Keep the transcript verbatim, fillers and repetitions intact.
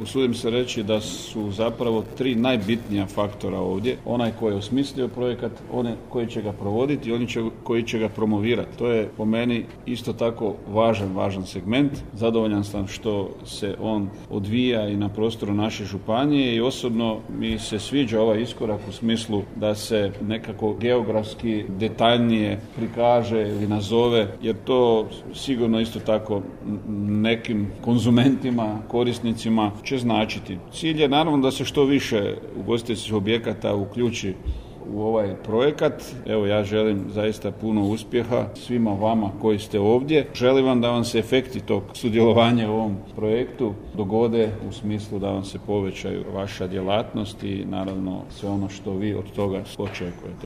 usudim se reći da su zapravo tri najbitnija faktora ovdje. Onaj koji je osmislio projekat, onaj koji će ga provoditi i oni će, koji će ga promovirati. To je po meni isto tako važan, važan segment. Zadovoljan sam što se on odvija i na prostoru naše županije i osobno mi se sviđa ovaj iskorak u smislu da se nekako geografski detaljnije prikaže ili nazove, jer to sigurno isto tako nekim konzumentima, korisnicima će značiti. Cilj je naravno da se što više ugostiteljskih objekata uključi u ovaj projekat. Evo, ja želim zaista puno uspjeha svima vama koji ste ovdje. Želim vam da vam se efekti tog sudjelovanja u ovom projektu dogode u smislu da vam se povećaju vaša djelatnost i naravno sve ono što vi od toga očekujete.